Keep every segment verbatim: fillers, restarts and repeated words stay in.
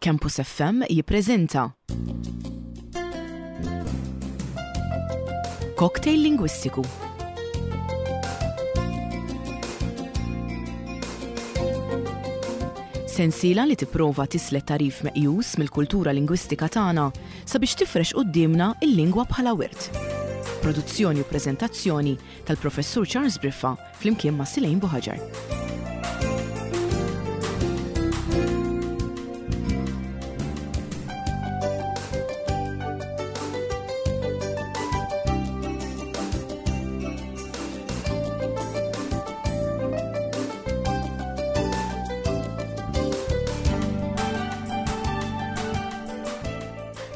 Campus F M jippreżenta Cocktail Lingwistiku. Sensiela li tipprova tislet tagħrif meqjus mill-kultura lingwistika tagħna sabiex tifrex quddiemna il-lingwa bħala wirt. Produzzjoni u preżentazzjoni tal-Professur Charles Briffa flimkien ma' Silejn Buħaġar.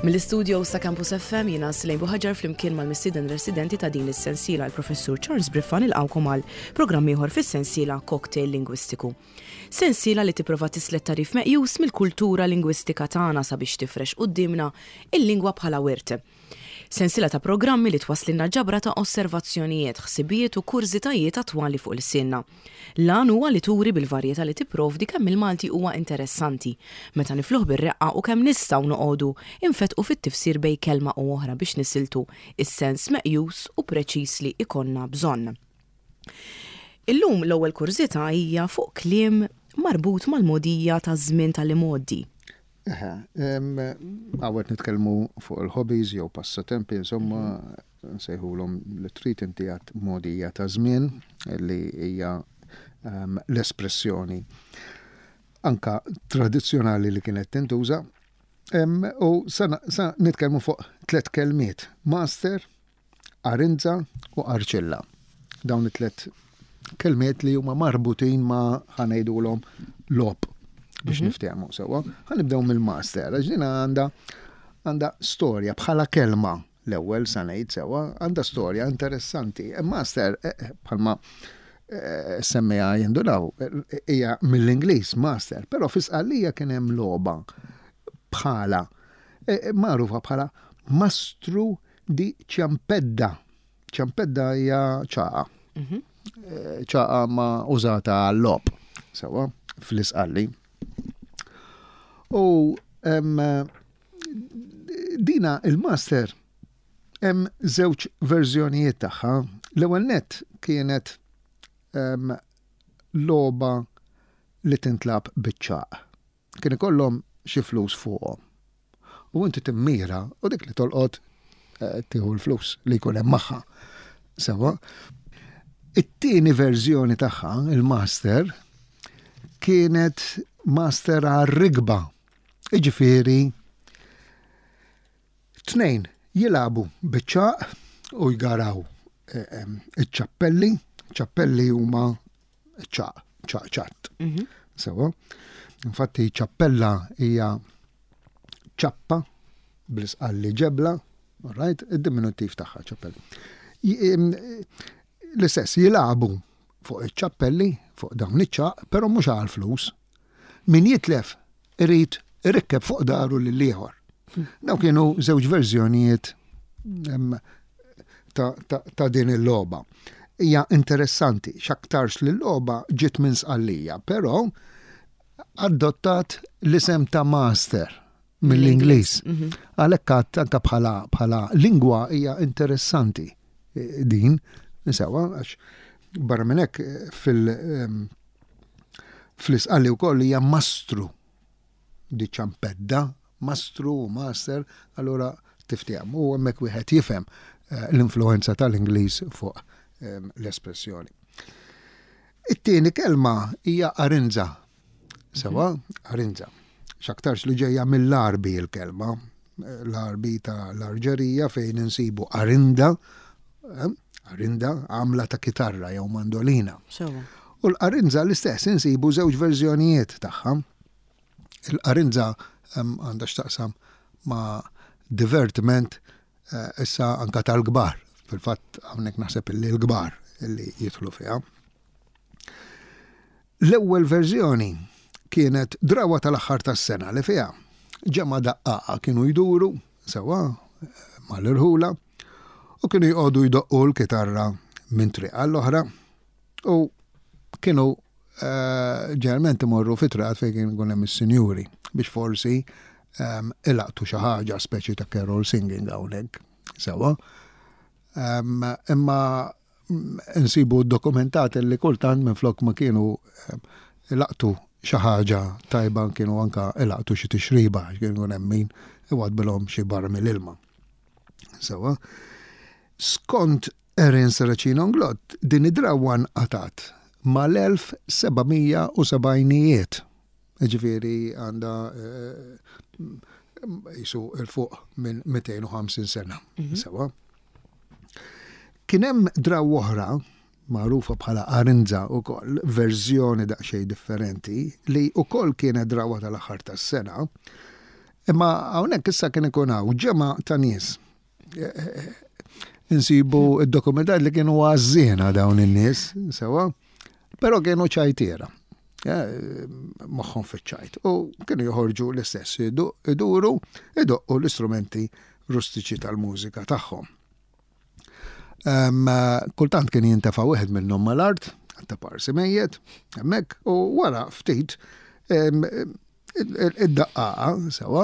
Mill-istudio sa Campus F M jiena Silejn Buħaġar flimkien mal-mistieden residenti ta' din is-sensiela, l-Professur Charles Briffa, nilqawkom għal programm ieħor fis-sensiela Cocktail Lingwistiku. Sensiela li tipprova tislet tagħrif meqjus mill-kultura lingwistika tagħna sabiex tifrex quddiemna il-lingwa bħala wirt. Sensiela ta' programmi li twasslilna ġabra ta' osservazzjonijiet, ħsibijiet u kurżitajiet attwali fuq l-sinna. L-għan huwa li turi bil-varjetà li tipprovdi kemm il-Malti huwa interessanti, meta nifluh bir-reqqa, u kemm nistgħu noqogħdu infetqu fit-tifsir bejn kelma u oħra biex nisiltu is-sens meqjus u preċiż li ikollna bżonn. Illum l-ewwel kurżità hija fuq kliem marbut mal-mogħdija ta' żmien tal-imgħoddi. Eħe, hawnhekk nitkellmu fuq il-hobbies jew passatempi, insomma, nsejħulhom li trid inti, għat mogħdija ta' żmien li hija em, l-espressjoni anka tradizzjonali li kienet tintuża. Em, U sa, sa nitkellmu fuq tliet kelmiet: master, arinza u arċilla. Dawn it-tliet kelmiet li huma marbutin ma', ħa ngħidulhom, logħob biex mm -hmm. niftehmu sewwa. Ħa nibdew mill-master, għax din għandha għandha storja bħala kelma l-ewwel sa ngħid sewwa, għandha storja interessanti. E master eh, eh, bħalma eh, semmija jindunaw hija mill-Ingliż master, però fi Sqallija kien hemm logħba bħala magħrufa bħala mastru di ċampedda. Ċampedda hija ċaqa. Mhm. ċaqa ma użata għall-logħob, sewwa, fl-Isqalli. U dina il-master hemm żewġ verżjonijiet tagħha. L-ewwel net kienet logħba li tintlagħab biċ-ċagħaq. Kien ikollhom xi flus fuqhom. U inti timmira u dik li tolqot eh, tieħu l-flus li jkun hemm magħha. Sewwa. It-tieni verżjoni tagħha, il-master, kienet master għar-rigba. Iġifieri, tnejn jilagħbu biċ-ċagħaq u jgaraw eh, iċ-ċappelli, ċappelli huma ċagħaq, ċagħaq ċatt. Mhm. Sewwa. Infatti ċappella hija ċappa bl-Isqalli ġebla, right? Id-diminuttiv tagħha ċappella. L-istess jilagħbu fuq iċ-ċappelli, fuq dawn iċ-ċagħaq, però mhux għal flus. Min jitlef irid irikkeb fuq dahru lil ieħor. Daw kienu żewġ verżjonijiet ta', ta, ta din il-logħba. Hija interessanti, x'aktarx li l-logħba ġiet minn Sqallija, però adottat l-isem ta' master mill-Ingliż. Mhm. Għalhekk anka bħala bħala lingwa hija interessanti eh, din, sewwa, għax barra minn hekk eh, fil- fl-Isqalli wkoll hija mastru di ċampedda, mastru u master, allura tiftehmu u hemmhekk wieħed jifhem eh, l-influenza tal-Ingliż fuq l-espressjoni. It-tieni kelma hija arinza. Sewwa, arinza. X'aktarx li ġejja mill-Arbi l-kelma, l-Arbi ta' l-Arġerija fejn insibu arinda, eh, arinda għamla ta' kitarra jew mandolina. U l-arinza l-istess insibu żewġ verżjonijiet tagħha. Il-arinza għandha x'taqsam ma' divertiment eh, issa anka tal-kbar. Fil-fatt hawnhekk naħseb illi l-kbar illi jidħlu fiha. L-ewwel verżjoni kienet drawa tal-aħħar tas-sena li fiha ġemgħa daqqaqa kienu jduru sewwa mal-irħula u kienu jqogħdu jdoqqu l-kitarra minn triq għall-oħra u kienu ġeneralment imorru fi triqat fejn kien ikun hemm is-sinjuri biex forsi ilaqtu xi ħaġa, speċi ta' carol singing hawnhekk. Sewa. Imma nsibu dokumentat li kultant minn flok ma kienu ilaqtu xi ħaġa tajba, kienu anka ilaqtu xi tixriba, kienu hemm min iwadbilhom xi barmil ilma. Sewa. Skont Erin Serracino Inglott, din id-drawa nqatat mal-elf seba' mija u sebgħinijiet. Ġifieri għandha jisu 'il fuq minn mitejn u ħamsin sena. Sewa. Kien hemm drawa oħra magħrufa bħala Arinza ukoll, verżjoni daqsxejn differenti, li ukoll kienet drawa tal-aħħar tas-sena. Imma hawnhekk issa kien ikun hawn ġemgħa ta' nies. Insibu id-dokumentat li kienu għażżiena dawn in-nies, sewa, però kienu ċajtiera. Moħħhom fiċ-ċajt. U kienu joħorġu l-istess, iduru, idoqqu l-istrumenti rustiċi tal-mużika tagħhom. Kultant kien jintefa' wieħed minnhom mal-art, ta' parsi mejjet, hemmhekk, u wara ftit id-daqqaqa, sewa,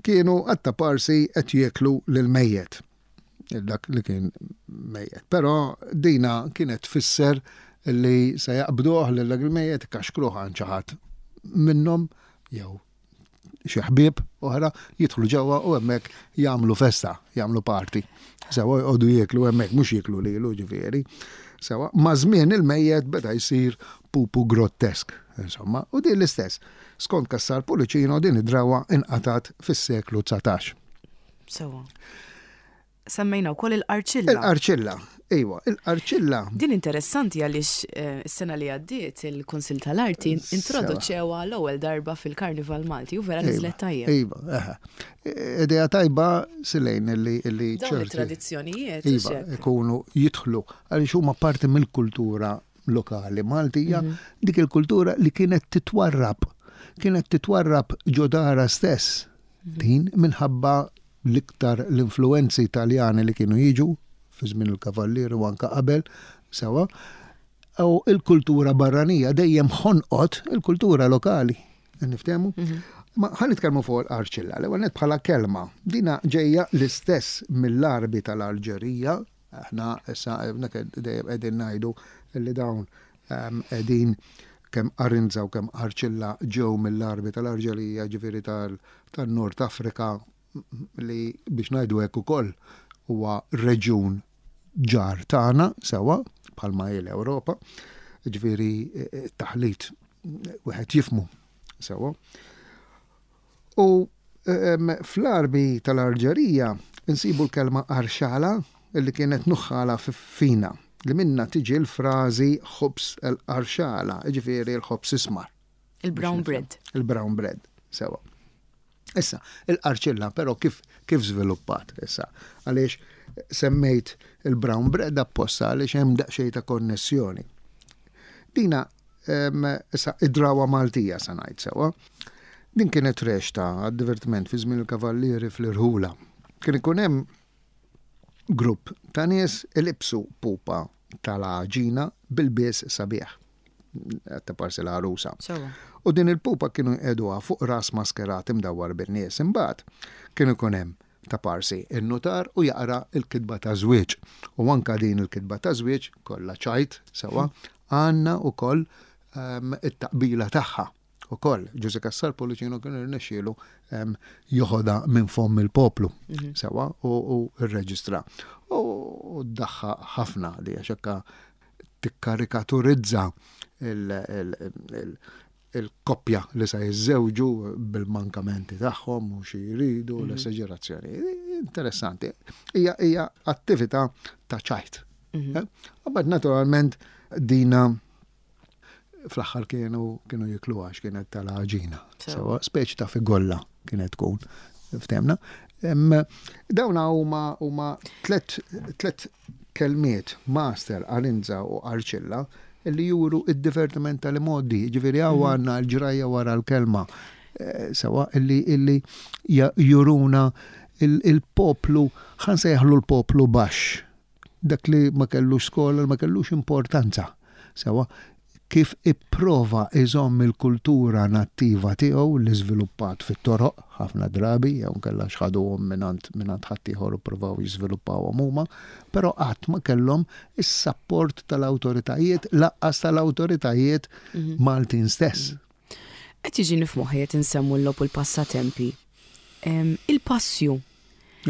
kienu għatta parsi qed jieklu lil mejjet. Dak li kien mejjet. Però dina kienet tfisser li se jaqbduh lil dak il-mejjet, kaxkruh għand xi ħadd minnhom jew xi ħbieb oħra, jidħlu ġewwa u hemmhekk jagħmlu festa, jagħmlu party. Sewa, jqogħdu jieklu hemmhekk, mhux jieklu lilu ġifieri. Sewa, ma' żmien il-mejjet beda jsir pupu grottesk, insomma, u din l-istess. Skont Cassar Pullicino, din id-drawa inqatat fis-seklu dsatax. Sewa. Semmejna wkoll il-qarċilla. Il-qarċilla, iwa, il-qarċilla. Din interessanti għaliex is-sena li għaddiet il-Kunsill tal-Arti introduċewha l-ewwel darba fil-Karnival Malti u vera niżlet tajjeb. Iva, eħe. Idea tajba silejn illi illi Dawn ċerti it-tradizzjonijiet. Iva, ikunu jidħlu għaliex huma parti mill-kultura lokali Maltija, dik il-kultura li kienet titwarrab, kienet titwarrab ġo darha stess. Din minħabba l-iktar l-influenzi Italjani li kienu jiġu fi żmien il-Kavallieri u anka qabel, sewa, u il-kultura barranija dejjem ħonqot il-kultura lokali. Niftehmu? Ma ħa nitkellmu fuq l-qarċilla, l-ewwel nett bħala kelma. Dina ġejja l-istess mill-Arbi tal-Alġerija, aħna issa dejjem qegħdin ngħidu li dawn qegħdin kemm Arinza u kemm Qarċilla ġew mill-Arbi tal-Alġerija, ġifieri tal-Nord Afrika, li biex ngħidu hekk ukoll huwa reġjun ġar tagħna sewa bħalma hi l-Ewropa, ġifieri taħlit wieħed jifmu sewa. U fl-Arbi tal-Alġerija nsibu l-kelma arxala li kienet nuħħala fina, li minna tiġi l-frażi ħobż l-arxala, ġifieri l-ħobż ismar. Il-brown bread. Il-brown bread, sewa. Issa, il-qarċilla però kif, kif żviluppat issa? Għaliex semmejt il-brown bread apposta, għaliex hemm daqsxejn ta' konnessjoni. Dina issa id-drawa Maltija sa ngħid, sewa. Din kienet rexta għad-divertiment fi żmien il-kavallieri fl-irħula. Kien ikun hemm grupp ta' nies ilibsu pupa tal-għaġina bil-bies sabiħ. Ta' parsi l-għarusa. U din il-pupa kienu jqegħduha fuq ras maskerat imdawwar bin-nies. Imbagħad kienu jkun hemm ta' parsi in-nutar u jaqra il-kitba ta' żwieġ. U anka din il-kitba ta' żwieġ kollha ċajt, sewa, għandna wkoll it-taqbila tagħha. Ukoll Ġużè Cassar Pullicino kien irnexxielu joħodha minn fomm il-poplu, sewa, u rreġistra. U daħħa ħafna li għax hekka tikkarikaturizza il-koppja li sa jiżżewġu bil-mankamenti tagħhom u xi jridu, l-esagerazzjoni. Interessanti. Hija hija attività ta' ċajt. Imbagħad naturalment dina fl-aħħar kienu kienu jikluha għax kienet tal-għaġina. Sewa, speċi ta' figolla kienet tkun. Ftehmna. Dawna huma huma tlet tlet kelmiet, master, arinza u arċilla, li juru id-divertiment tal-modi, ġifieri hawn għandna l-ġrajja wara l-kelma. Sewa, illi illi juruna il-poplu, ħa nsejjaħlu l-poplu baxx, dak li ma kellux skola, ma kellux importanza. Sewa, Kif ipprova iżomm il-kultura nattiva tiegħu li żviluppat fit-toroq ħafna drabi, jew kellha xħaduhom mingħand mingħand ħaddieħor u ppruvaw jiżviluppawhom huma, però qatt ma kellhom is-sapport tal-awtoritajiet, lanqas tal-awtoritajiet mhm. Maltin stess. Qed jiġini f'moħħi qed insemmu l-logħob u l-passatempi. Il-passju.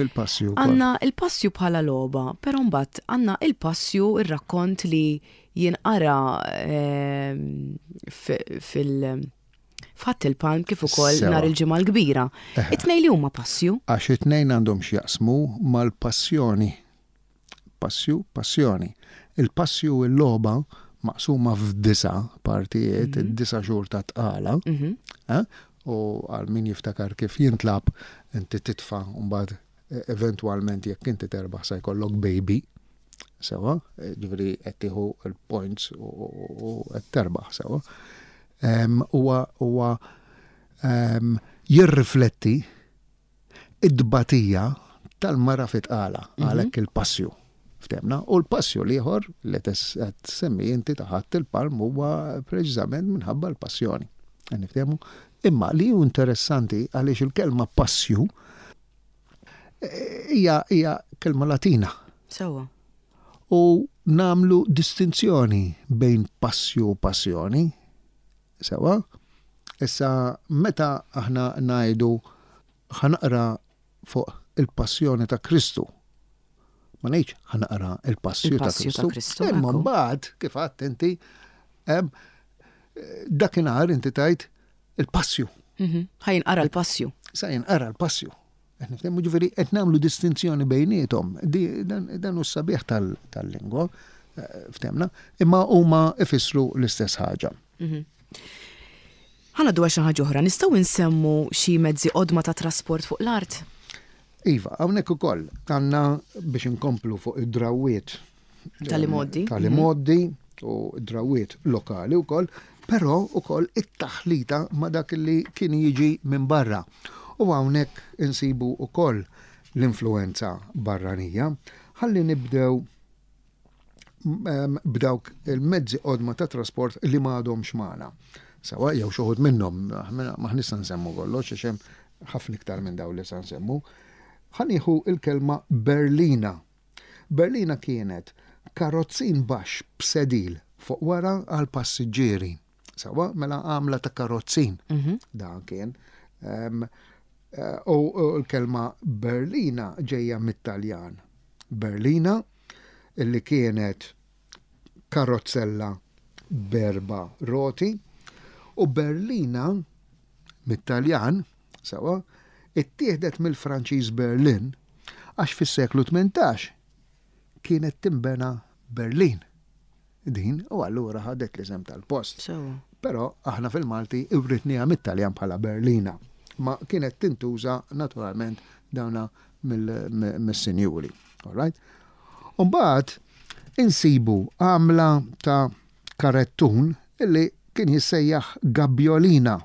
Il-passju. Għandna il-passju bħala logħba, però mbagħad għandna il-passju, ir-rakkont li jinqara fil- F'Ħadd il-Palm kif ukoll nhar il-Ġimgħa l-Kbira. It-tnejn li huma passju. Għax it-tnejn għandhom x'jaqsmu mal-passjoni. Passju, passjoni. Il-passju, il-logħba maqsuma f'disa partijiet, mhm. id-disa xhur ta' tqala, mhm. eh? U għal min jiftakar kif jintlagħab, inti titfa' mbagħad e, eventwalment jekk inti terbaħ sa jkollok baby, sewa, e, ġifieri qed tieħu l-points u qed terbaħ, sewa. Huwa huwa jirrifletti id-dbatija tal-mara fit-tqala, mhm. għalhekk il-passju. Ftemna, u l-passju l-ieħor li qed semmi inti ta' Ħadd il-Palm huwa preċiżament minħabba l-passjoni. Niftehmu? Imma li hu interessanti għaliex il-kelma passju eh, hija hija kelma Latina. Sewa. U nagħmlu distinzjoni bejn passju u passjoni. Sewa. Issa meta aħna ngħidu "ħa naqra fuq il-passjoni ta' Kristu", ma ngħidx "ħa naqra il-passju ta' Kristu". Imma mbagħad kif għedt inti, dakinhar inti tgħid il-passju. Mhm. Ħa jinqara l-passju. Sa jinqara l-passju. Qed ġifieri qed nagħmlu distinzjoni bejniethom. Dan hu sabiħ tal-lingwa, eh, ftemna, imma huma ifissru l-istess ħaġa. Mhm. Ħa ngħaddu xi ħaġa oħra, nistgħu nsemmu xi mezzi qodma ta' trasport fuq l-art? Iva, hawnhekk ukoll għandna biex inkomplu fuq id-drawiet tal-imoddi. Tal-imoddi u drawiet lokali wkoll, però ukoll it-taħlita ma' dak li kien jiġi minn barra. U hawnhekk insibu ukoll l-influenza barranija. Ħalli nibdew b'dawk il-mezzi qodma ta' trasport li m'għadhomx magħna. Sewa, jew xi wħud minnhom, ma nista' nsemmu kollox, għax hemm ħafna iktar minn dawn li sa nsemmu. Ħa nieħu il-kelma Berlina. Berlina kienet karozzin baxx b'sedil fuq wara għal passiġġieri. Sewa, mela għamla ta' karozzin. Mhm. Dan kien. Um, u l-kelma Berlina ġejja mit-Taljan. Berlina, illi kienet karozzella b'erba' roti, u Berlina mit-Taljan, sewa, ittieħdet mill-Franċiż Berlin għax fis-seklu tmintax kienet timbena Berlin. Din, u allura ħadet l-isem tal-post. Sewa. Però aħna fil-Malti writnieha mit-Taljan bħala Berlina. Ma kienet tintuża naturalment dawna mill-sinjuri. All right? Umbagħad insibu għamla ta' karettun illi kien jissejjaħ gabjolina.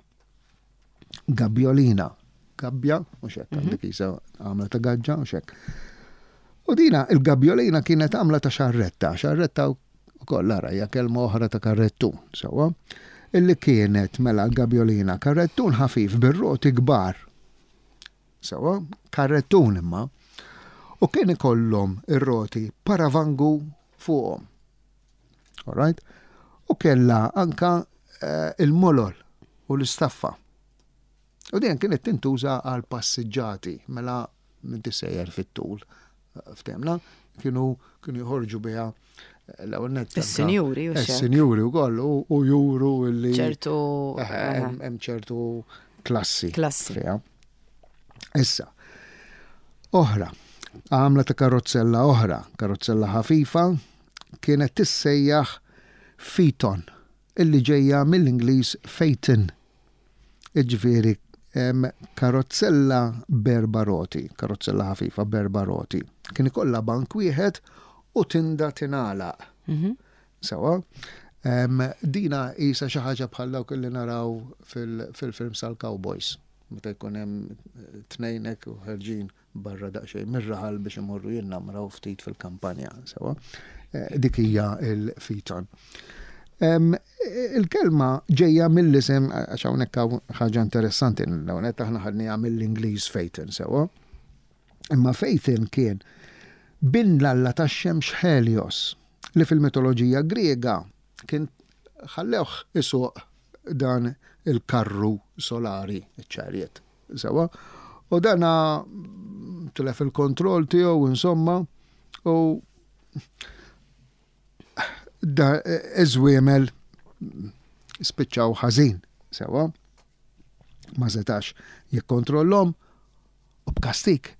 Gabjolina. Gabbja, u xek, għandek jisa għamla ta' gaġġa, u xek. U dina il-gabjolina kienet għamla ta' xarretta, xarretta u koll ara hija kelma oħra ta' karrettun, sewa, illi kienet mela l-gabjolina karrettun ħafif bir-roti kbar. Sewa, karrettun imma. U kien ikollhom ir-roti paravangu fuqhom. All right? U kella anka eh, il-molol u l-istaffa. U din kienet tintuża għal passiġġati, mela minn sejjer fit-tul. Ftemna, kienu kienu jħorġu biha l-ewwel nett anka- Is-sinjuri u xek. Is-sinjuri wkoll u u juru li ċertu Eh, hemm hemm ċertu klassi. Klassi. Fiha. Issa, oħra, għamla ta' karozzella oħra, karozzella ħafifa, kienet tissejjaħ Phaeton, illi ġejja mill-Ingliż phaeton. Iġifieri, em, karozzella b'erba' roti, karozzella ħafifa b'erba' roti. Kien ikollha bank wieħed u tinda tingħalaq. Mhm. Sewa, em, dina isa xi ħaġa bħal dawk li naraw fil- fil-films tal-Cowboys. Meta jkun hemm tnejn hekk u ħerġin barra daqsxejn mir-raħal biex imorru jinnamraw ftit fil-kampanja, sewa. Eh, Dik hija il-Phaeton. Il-kelma ġejja mill-isem, għax hawnhekk hawn ħaġa interessanti, hawnhekk aħna ħadniha mill-Ingliż Phaeton sewwa. Imma Phaeton kien bin l-alla tax-xemx Helios li fil-mitoloġija Griega kien ħallewh isuq dan il-karru solari, iċ-chariot. Sewwa. U dana tilef il-kontroll tiegħu insomma u da iż-żwiemel spiċċaw ħażin, sewwa. Ma setax jikkontrollhom u b'kastik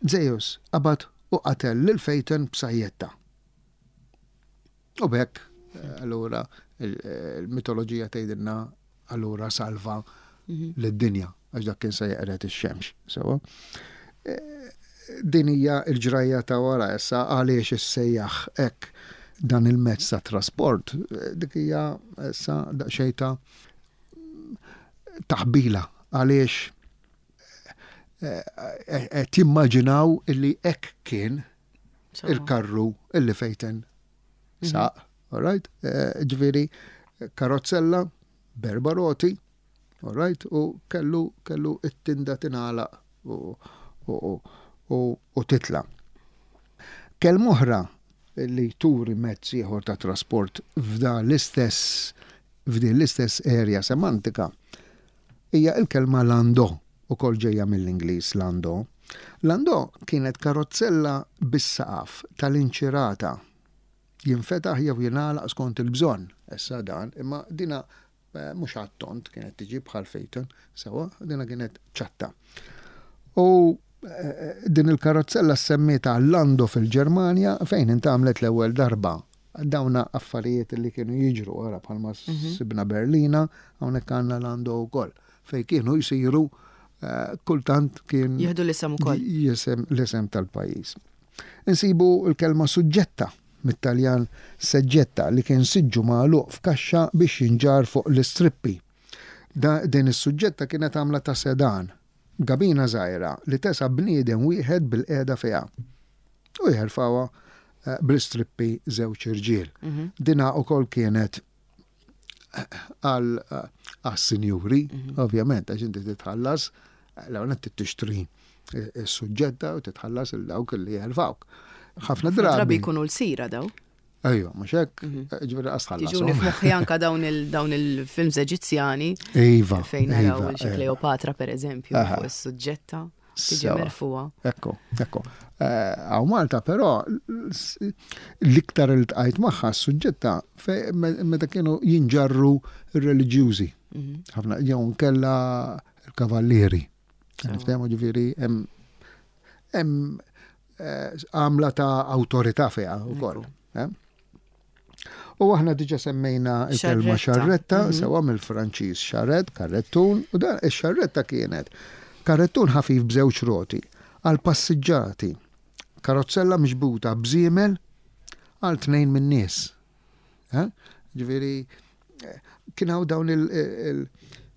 Zeus qabad u qatel lil Phaeton b'sajjetta. U b'hekk allura il-mitoloġija tgħidilna allura salva lid-dinja għax dak kien se jeqred ix-xemx. Sewwa. Din hija l-ġrajja ta' wara issa għaliex issejjaħ hekk dan il-mezz ta' trasport, dik hija issa daqsxejn ta' taħbila għaliex qed jimmaġinaw illi hekk kien il-karru illi Phaeton saq, all right? Ġifieri karozzella b'erba' roti, all right? U kellu kellu it-tinda tingħalaq u, u, u, u titla. Kelma oħra li turi mezz ieħor ta' trasport f'dan l-istess f'din l-istess area semantika hija il-kelma landò, ukoll ġejja mill-Ingliż landò. Landò kienet karozzella bis-saqaf tal-inċirata jinfetaħ jew jingħalaq skont il-bżonn. Issa dan, imma dina mhux għat-tond kienet tiġi bħal Phaeton, sewwa, dina kienet ċatta. U din il-karozzella semmieta Lando fil-Ġermanja fejn intgħamlet l-ewwel darba. Dawna affarijiet li kienu jiġru wara bħalma sibna Berlina, hawnhekk għandna Lando wkoll fejn kienu jsiru kultant kien jieħdu l-isem ukoll. Jisem l-isem tal-pajjiż. Insibu l-kelma suġġetta mit-Taljan seġġetta li kien siġġu magħluq f'kaxxa biex jinġar fuq l-istrippi. Din is-suġġetta kienet għamla ta' sedan, gabina żgħira li tesa' bniedem wieħed bil-qiegħda fiha. U jerfgħuha bl-istrippi żewġ irġiel. Dina ukoll kienet għal għas-sinjuri, ovvjament, għax inti titħallas, l-ewwel tixtri is-suġġetta u titħallas il dawk li jerfgħuk. Ħafna Drabi drabi. jkunu l-sira daw. Ejja, mhux hekk, ġifieri qas tħallas. Tiġuni f'moħħi anka dawn il- dawn il-films Eġizzjani Iva. fejn naraw iva, xi iva. Kleopatra per eżempju Aha. fuq is-suġġetta tiġi Sewa. merfuha. Ekku, ekku. Hawn Malta però l-iktar li ltqajt magħha s-suġġetta meta kienu jinġarru r-reliġjużi. Ħafna jew nkella l-kavallieri. Niftehmu ġifieri hemm hemm eh, għamla ta' awtorità fiha wkoll. eh? U aħna diġa semmejna il-kelma Xarretta. xarretta, sewa mill-Franċiż charrette, karrettun, u dan ix-xarretta kienet karrettun ħafif b'żewġ roti għal passiġġati, karozzella miġbuta b'żiemel għal tnejn min-nies. Eh? Ġifieri eh, kien hawn dawn il- il-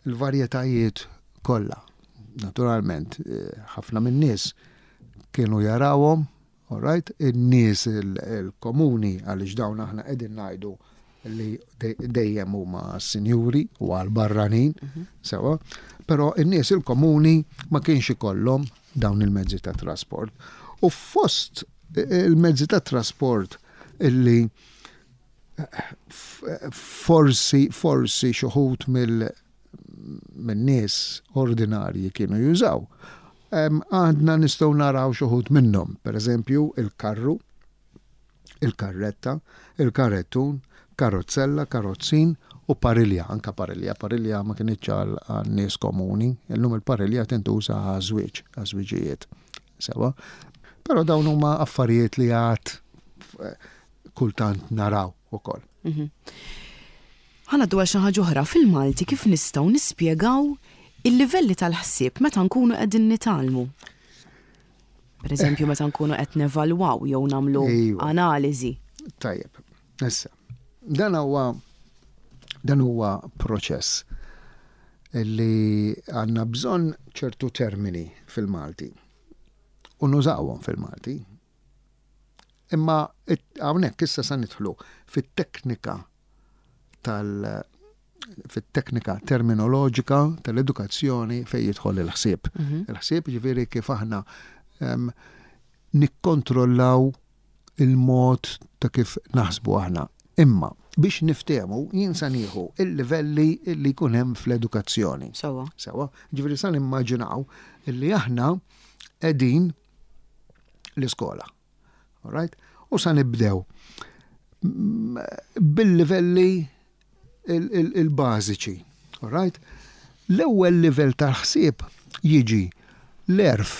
il-varjetajiet kollha. Naturalment, eh, ħafna min-nies kienu jarawhom, all right, in-nies il- il-komuni għaliex dawn aħna qegħdin ngħidu li dej- dejjem huma sinjuri u għal barranin, sewa, però in-nies il-komuni ma kienx ikollhom dawn il-mezzi ta' trasport. U fost il-mezzi ta' trasport illi forsi forsi xi wħud mill min-nies ordinarji kienu jużaw. Em, Għandna nistgħu naraw xi wħud minnhom, per eżempju il-karru, il-karretta, il-karrettun, karozzella, karozzin u parilja, anka parilja. Parilja ma kinitx għal għal nies komuni, illum il-parilja tintuża għaż-żwieġ, għaż-żwiġijiet. Sewa. Però dawn huma affarijiet li għad eh, kultant naraw ukoll. Ħa ngħaddu għal xi ħaġa oħra fil-Malti kif nistgħu nispjegaw il-livelli tal-ħsieb meta nkunu qegħdin nitgħallmu. Per eżempju, meta nkunu qed nevalwaw jew nagħmlu Ejwa. analiżi. Tajjeb, issa, dan huwa dan huwa proċess li għandna bżonn ċertu termini fil-Malti u nużawhom fil-Malti. Imma it- hawnhekk issa sa nidħlu fit-teknika tal fit-teknika terminoloġika tal-edukazzjoni fejn jidħol il-ħsieb. Mhm. Il-ħsieb ġifieri kif aħna em, nikkontrollaw il-mod ta' kif naħsbu aħna. Imma biex niftehmu jien sa nieħu il-livelli li jkun hemm fl-edukazzjoni. Sewwa. Sewwa, ġifieri sa nimmaġinaw illi aħna qegħdin l-iskola. All right? U sa nibdew mm, bil-livelli il- il- il-bażiċi. All right? L-ewwel livell tal-ħsieb jiġi l-għerf.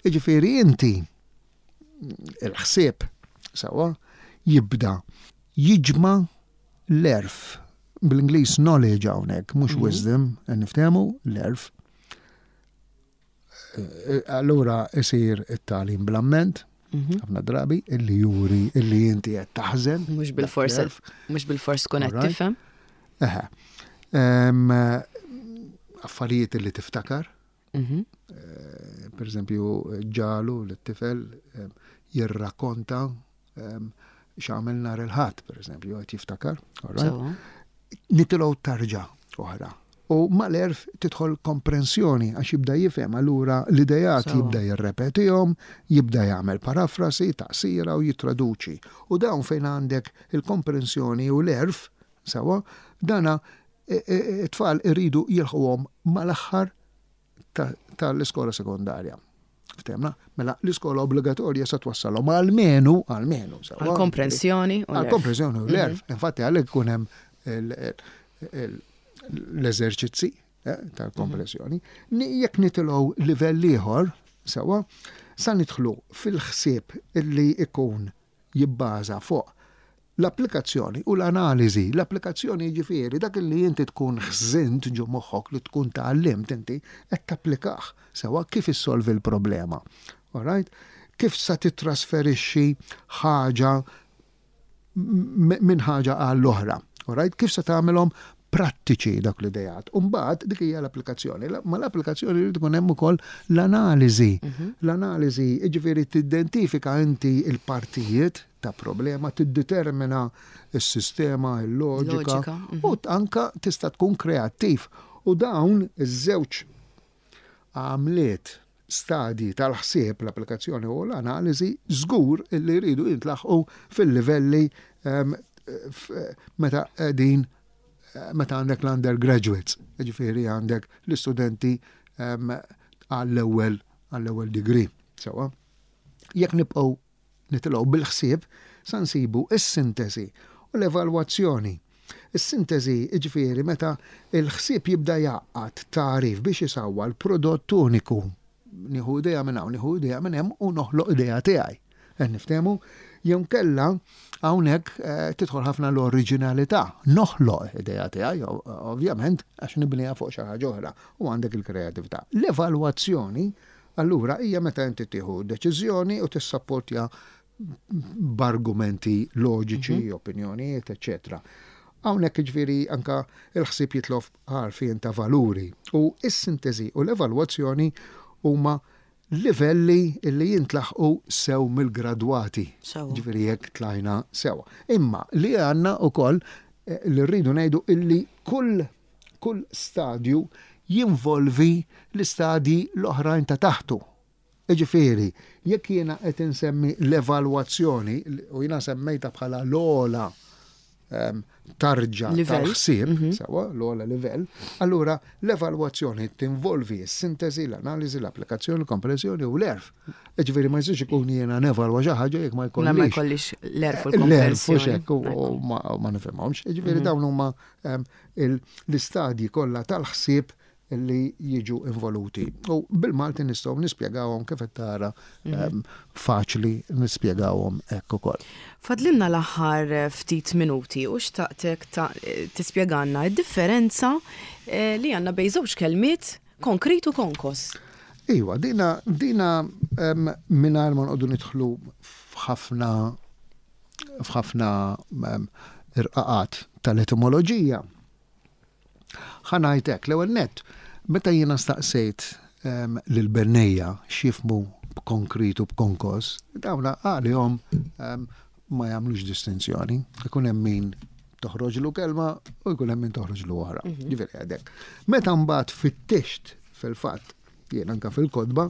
Jiġifieri inti il-ħsieb sewwa jibda jiġma' l-għerf. Bl-Ingliż knowledge hawnhekk, mhux Mhm. wisdom, niftehmu l-għerf. Eh, Allura isir it-tagħlim bl-amment, Mhm. ħafna drabi, illi juri illi inti qed taħżen. Mhux bil-fors dak l-għerf. mhux bil-fors tkun qed Alright. tifhem. Eħe. Em, Affarijiet illi tiftakar, Mhm. eh, per eżempju, ġalu l-tifel em, jirrakkonta em, x'għamel nhar il-Ħadd, per eżempju, qed jiftakar. All right? Sewwa. Nitilgħu tarġa oħra. U mal-għerf tidħol komprensjoni għax jibda jifhem allura l-idejat Sewwa. jibda jirrepetihom, jibda jagħmel parafrasi, taqsira u jitraduċi. U dawn fejn għandek il-komprensjoni u l-għerf, sewwa, dana e- e- it-tfal iridu jilħquhom mal-aħħar ta- tal-iskola sekondarja. Ftehmna? Mela l-iskola obbligatorja sa twassalhom almenu, almenu, sewwa. Għal-komprensjoni u l-għerf. Għal-komprensjoni u l-għerf. Infatti għalhekk ikun hemm il- il- l-eżerċizzi eh, tal-komprensjoni. Ni- Jekk nitilgħu livell ieħor, sewwa, sa nidħlu fil-ħsieb illi ikun jibbaża fuq l-applikazzjoni u l-analiżi. L-applikazzjoni ġifieri dak li inti tkun ħżint ġo moħħok li tkun tgħallimt inti qed tapplikah sewwa kif issolvi l-problema. All right? Kif sa titrasferixxi ħaġa m- minn ħaġa għall-oħra. All right? Kif se tagħmelhom prattiċi dak l-idejat. Umbagħad dik hija l-applikazzjoni. La- Ma l-applikazzjoni jrid ikun hemm ukoll l-analiżi. L-analiżi jiġifieri tidentifika inti il-partijiet ta' problema, tiddetermina s-sistema, il-loġika, Loġika, mhm. u anka tista' tkun kreattiv. U dawn iż-żewġ għamliet stadji tal-ħsieb l-applikazzjoni u l-analiżi żgur illi jridu jintlaħqu fil-livelli em, f- meta qegħdin eh, meta għandek l-undergraduates, ġifieri għandek l-istudenti em, għall-ewwel għall-ewwel degree. Sewwa. Jekk nibqgħu nitilgħu bil-ħsieb, sa nsibu is-sintesi u l-evalwazzjoni. Is-sintesi ġifieri meta il-ħsieb jibda jgħaqqad tagħrif biex isawwa l-prodott uniku. Nieħu idea minn hawn, nieħu idea minn hemm u noħloq idea tiegħi. Qed niftehmu jew kella hawnhekk eh, tidħol ħafna l-oriġinalità. Noħloq idea tiegħi, ovvjament, għax nibniha fuq xi ħaġa oħra u għandek il-kreatività. L-evalwazzjoni allura hija meta inti tieħu deċiżjoni u tissapportja b'argumenti loġiċi, opinjonijiet, eċċetera. Hawnhekk ġifieri anka il-ħsieb jitlob għarfien ta' valuri u is-sintesi u l-evalwazzjoni huma livelli li jintlaħqu sew mill-gradwati. Sewwa. Ġifieri jekk tlajna sewa. Imma li għandna ukoll eh, li rridu ngħidu illi kull kull stadju jinvolvi l-istadji l-oħrajn ta' taħtu. Ġifieri, jekk jiena qed insemmi l-evalwazzjoni u jiena semmejta bħala l-ogħla em, tarġa Livell. tal-ħsieb, sewwa, l-ogħla livell, allura l-evalwazzjoni tinvolvi s-sintesi, l-analiżi, l-applikazzjoni, l-komprensjoni u l-għerf. Ġifieri ma jistax ikun jiena nevalwa xi ħaġa jekk ma La ma jkollix jkollix l-għerf u l-għerf u l-komprensjoni. xek u u ma u ma nifhimhomx. Ġifieri dawn huma em, il- l-istadji kollha tal-ħsieb li jiġu involuti. U bil-Malti nistgħu nispjegawhom kif qed tara em, faċli nispjegawhom hekk ukoll. Fadlinna l-aħħar eh, ftit minuti u xtaqtek ta' eh, tispjegalna id-differenza eh, li għandna bejn żewġ kelmiet konkret u konkos. Iwa, dina, dina um, mingħajr ma nqogħdu nidħlu f'ħafna f'ħafna um, irqaqat tal-etimoloġija. Ħa ngħidlek, l-ewwel nett, meta jiena staqsejt um, lil-bennejja x'jifhmu b'konkret u b'konkos, dawna għalihom um, ma jagħmlux distinzjoni. Ikun hemm min toħroġlu kelma u jkun hemm min toħroġlu oħra. Mhm. Ġifieri għadek. Meta mbagħad fittixt fil-fatt jien anka fil-kotba,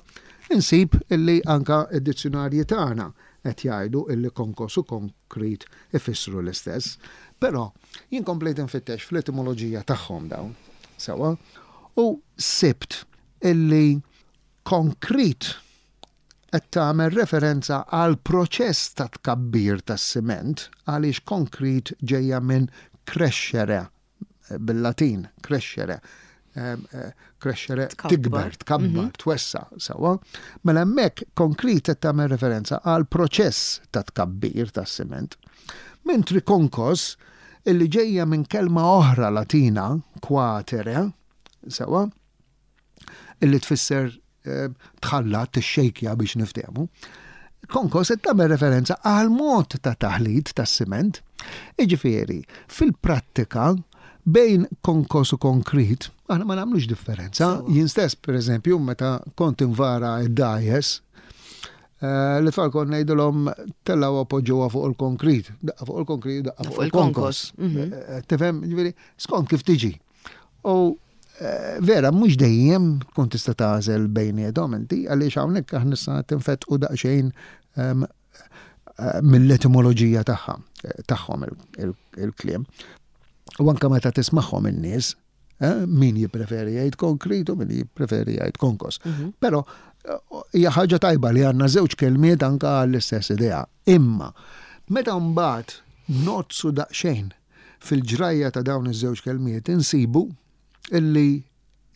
insib illi anka id-dizzjonarji tagħna qed jgħidu illi konkos u konkrit ifissru l-istess. Però jien komplejt infittex fl-etimoloġija tagħhom dawn, sewwa, u sibt illi konkrit qed tagħmel referenza għal proċess ta' tkabbir tas-siment, għaliex konkrit ġejja minn crescere bil-Latin, crescere. Eh, crescere tikber, tkabbar, mhm. twessa, sewwa. Mela hemmhekk konkrit qed tagħmel referenza għal proċess ta' tkabbir tas-siment. Mentri konkos, illi ġejja minn kelma oħra Latina, quatere, sewwa, illi tfisser eh, tħallat, tixxejkja biex niftehmu. Konkos qed tagħmel referenza għal mod ta' taħlit tas-siment. Iġifieri, fil-prattika bejn konkos u konkrit, aħna ma nagħmlux differenza. Jien stess, per eżempju, meta kont invara id-dgħajjes, eh, li tfal kont ngħidilhom tellgħu poġġuha fuq il-konkrit, daqqa fuq il-konkrit, daqqa fuq il-konkos. Mhm. Eh, tifhem, ġifieri, skont kif tiġi. U eh, vera, mhux dejjem tkun tista' tagħżel bejniethom inti, għaliex hawnhekk aħna issa tinfetqu daqsxejn ehm, mill-etimoloġija tagħha, tagħhom il-kliem. U anka meta tismagħhom in-nies, eh, min jippreferi jgħid konkrit u min jippreferi jgħid konkos. Mhm. Però eh, hija ħaġa tajba li għandna żewġ kelmiet anka għall-istess idea. Imma meta mbagħad nogħdsu daqsxejn fil-ġrajja ta' dawn iż-żewġ kelmiet, insibu illi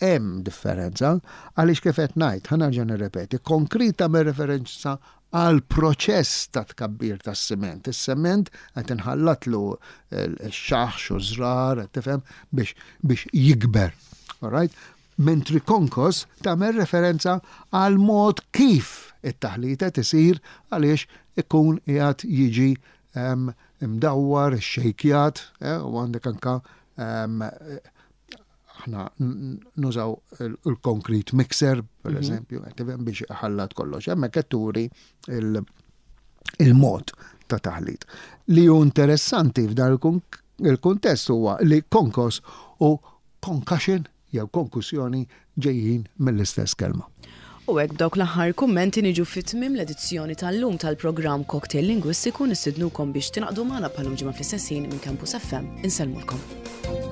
hemm differenza, għaliex kif qed ngħid, ħa nerġa' nirrepeti, konkrit tagħmel referenza għal proċess ta' tkabbir tas-siment. Is-sement qed inħallatlu x-xaħx u żrar, qed tifhem, biex biex jikber. Alright? Mentri konkos tagħmel referenza għal mod kif it-taħlita tisir, għaliex ikun qiegħed jiġi imdawwar, xejkjat, eh, u għandek anka aħna nużaw il-concrete mixer, per mhm. eżempju, biex ħallat kollox. Hemmhekk qed turi il-mod ta' taħlit. Li hu interessanti f'dan il-kuntest huwa li konkos u concussion jew konkussjoni ġejjin mill-istess kelma. U hekk, b'dawk l-aħħar kummenti, niġu fit-tmiem l-edizzjoni tal-lum tal-programm Cocktail Lingwistiku. Nistednukom biex tingħaqdu magħna bħal-lum ġimgħa fl-istess ħin minn Campus F M. Insellmulkom.